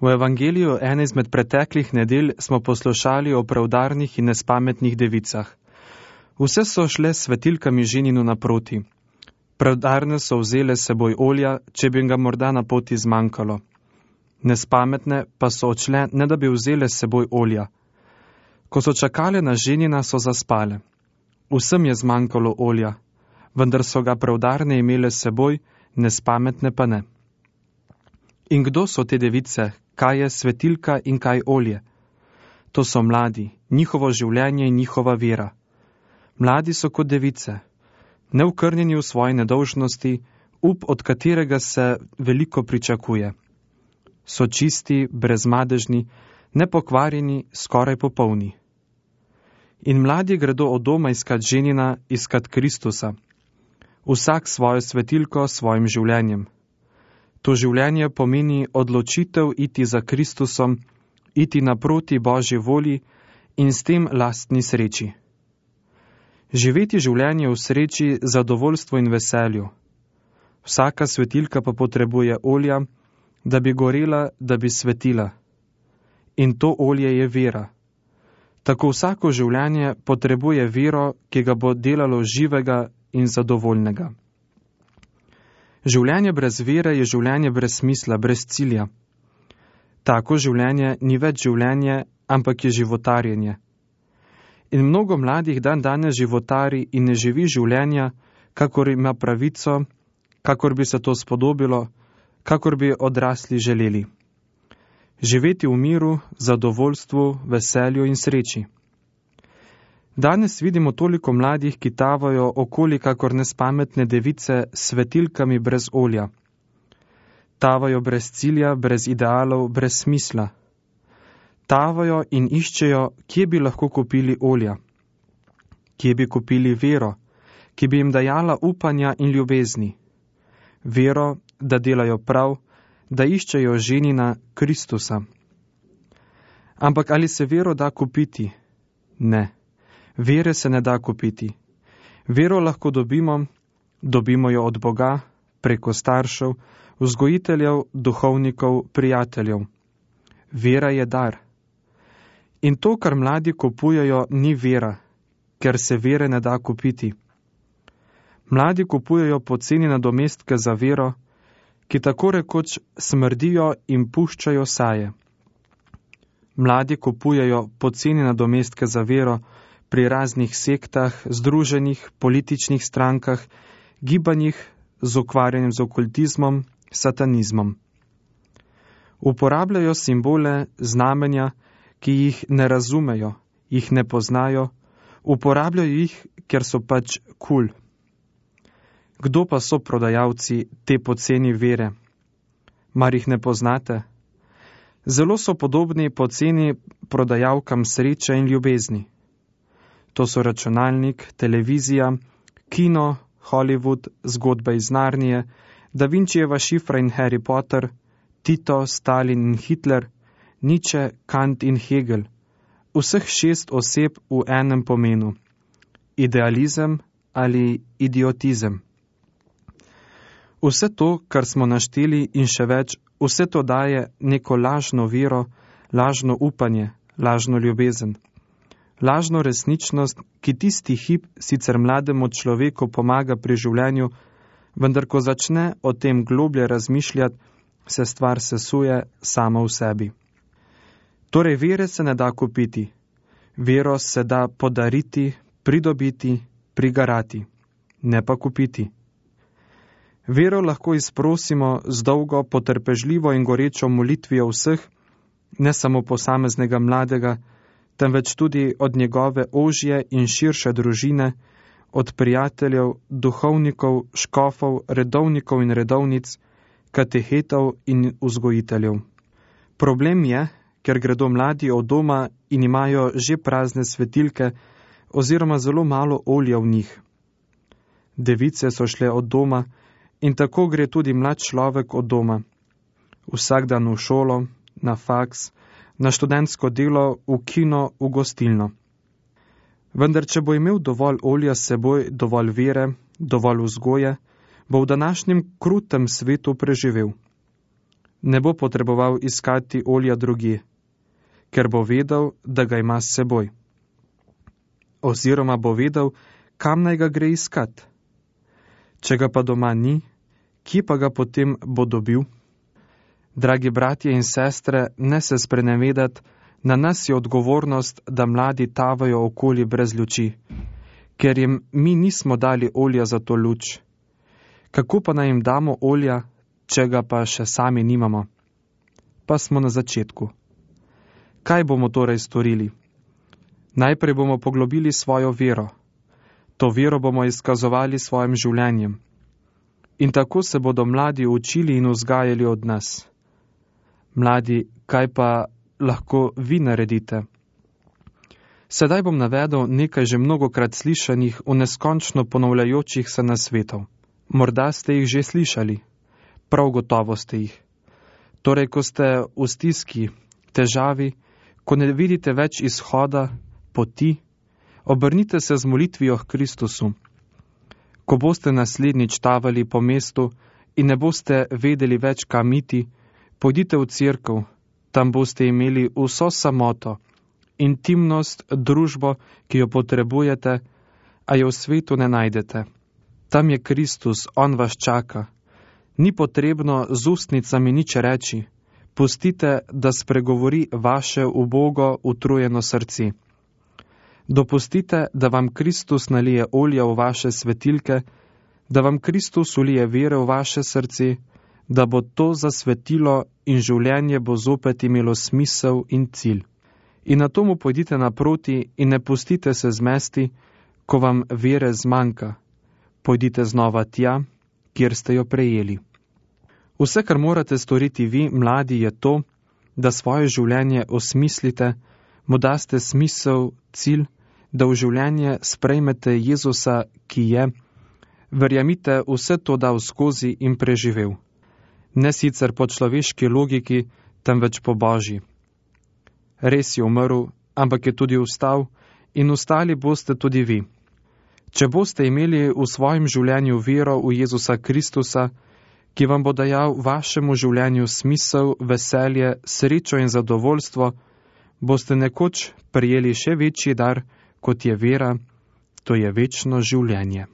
V evangeliju ene izmed preteklih nedelj smo poslušali o preudarnih in nespametnih devicah. Vse so šle s svetilkami ženinu naproti. Preudarne so vzele seboj olja, če bi ga morda na poti zmanjkalo. Nespametne pa so odšle, ne da bi vzele seboj olja. Ko so čakale na ženina, so zaspale. Vsem je zmanjkalo olja, vendar so ga preudarne imele seboj, nespametne pa ne. In kdo so te device, kaj je svetilka in kaj olje? To so mladi, njihovo življenje in njihova vera. Mladi so kot device, neukrnjeni v svoji nedolžnosti, up, od katerega se veliko pričakuje. So čisti, brezmadežni, nepokvarjeni, skoraj popolni. In mladi gredo od doma iskat ženina, iskat Kristusa. Vsak svojo svetilko, svojim življenjem. To življenje pomeni odločitev iti za Kristusom, iti naproti Božji volji in s tem lastni sreči. Živeti življenje v sreči, zadovoljstvu in veselju. Vsaka svetilka pa potrebuje olja, da bi gorela, da bi svetila. In to olje je vera. Tako vsako življenje potrebuje vero, ki ga bo delalo živega in zadovoljnega. Življenje brez vere je življenje brez smisla, brez cilja. Tako življenje ni več življenje, ampak je životarjenje. In mnogo mladih danes životari in ne živi življenja, kakor ima pravico, kakor bi se to spodobilo, kakor bi odrasli želeli. Živeti v miru, zadovoljstvu, veselju in sreči. Danes vidimo toliko mladih, ki tavajo okoli kakor nespametne device s svetilkami brez olja. Tavajo brez cilja, brez idealov, brez smisla. Tavajo in iščejo, kje bi lahko kupili olja, kje bi kupili vero, ki bi jim dajala upanja in ljubezni. Vero, da delajo prav, da iščejo ženina Kristusa. Ampak ali se vero da kupiti? Ne. Vere se ne da kupiti. Vero lahko dobimo jo od Boga, preko staršev, vzgojiteljev, duhovnikov, prijateljev. Vera je dar. In to, kar mladi kupujejo, ni vera, ker se vere ne da kupiti. Mladi kupujejo poceni nadomestke za vero, ki tako rekoč smrdijo in puščajo saje. Mladi kupujejo poceni nadomestke za vero pri raznih sektah, združenjih, političnih strankah, gibanjih z ukvarjanjem z okultizmom, satanizmom. Uporabljajo simbole, znamenja, ki jih ne razumejo, jih ne poznajo, uporabljajo jih, ker so pač kul. Kdo pa so prodajalci te poceni vere? Mar jih ne poznate? Zelo so podobni poceni prodajalkam sreče in ljubezni. To so računalnik, televizija, kino, Hollywood, zgodba iz Narnije, Da Vinčijeva šifra in Harry Potter, Tito, Stalin in Hitler, Nietzsche, Kant in Hegel, vseh 6 oseb v enem pomenu. Idealizem ali idiotizem. Vse to, kar smo našteli in še več, vse to daje neko lažno vero, lažno upanje, lažno ljubezen. Lažno resničnost, ki tisti hip sicer mlademu človeku pomaga pri življenju, vendar ko začne o tem globlje razmišljati, se stvar sesuje sama v sebi. Torej vere se ne da kupiti. Vero se da podariti, pridobiti, prigarati, ne pa kupiti. Vero lahko izprosimo z dolgo, potrpežljivo in gorečo molitvijo vseh, ne samo posameznega mladega, temveč tudi od njegove ožje in širše družine, od prijateljev, duhovnikov, škofov, redovnikov in redovnic, katehetov in vzgojiteljev. Problem je, ker gredo mladi od doma in imajo že prazne svetilke oziroma zelo malo olja v njih. Device so šle od doma in tako gre tudi mlad človek od doma. Vsak dan v šolo, na faks, na študentsko delo, v kino, v gostilno. Vendar, če bo imel dovolj olja s seboj, dovolj vere, dovolj vzgoje, bo v današnjem krutem svetu preživel. ne bo potreboval iskati olja drugje, ker bo vedel, da ga ima s seboj. Oziroma bo vedel, kam naj ga gre iskat. Če ga pa doma ni, kje pa ga potem bo dobil? Dragi bratje in sestre, ne se sprenevedati, na nas je odgovornost, da mladi tavajo okoli brez luči, ker jim mi nismo dali olja za to luč. Kako pa naj jim damo olja, če ga pa še sami nimamo? Pa smo na začetku. Kaj bomo torej storili? Najprej bomo poglobili svojo vero. To vero bomo izkazovali svojim življenjem. In tako se bodo mladi učili in vzgajali od nas. Mladi, kaj pa lahko vi naredite? Sedaj bom navedel nekaj že mnogokrat slišanih v neskončno ponavljajočih se nasvetov. Morda ste jih že slišali. Prav gotovo ste jih. Torej, ko ste v stiski, težavi, ko ne vidite več izhoda, poti, obrnite se z molitvijo k Kristusu. Ko boste naslednjič tavali po mestu in ne boste vedeli več, kam iti, pojdite v cerkev, tam boste imeli vso samoto, intimnost, družbo, ki jo potrebujete, a jo v svetu ne najdete. Tam je Kristus, on vas čaka. Ni potrebno z ustnicami nič reči. Pustite, da spregovori vaše ubogo, utrujeno srce. Dopustite, da vam Kristus nalije olja v vaše svetilke, da vam Kristus ulije vere v vaše srce, da bo to zasvetilo in življenje bo zopet imelo smisel in cilj. In na to mu pojdite naproti in ne pustite se zmesti, ko vam vere zmanjka. Pojdite znova tja, kjer ste jo prejeli. Vse, kar morate storiti vi, mladi, je to, da svoje življenje osmislite, mu daste smisel, cilj, da v življenje sprejmete Jezusa, ki je, verjemite, vse to dal skozi in preživel. Ne sicer po človeški logiki, temveč po Božji. Res je umrl, ampak je tudi vstal in vstali boste tudi vi. Če boste imeli v svojem življenju vero v Jezusa Kristusa, ki vam bo dajal vašemu življenju smisel, veselje, srečo in zadovoljstvo, boste nekoč prejeli še večji dar, kot je vera, to je večno življenje.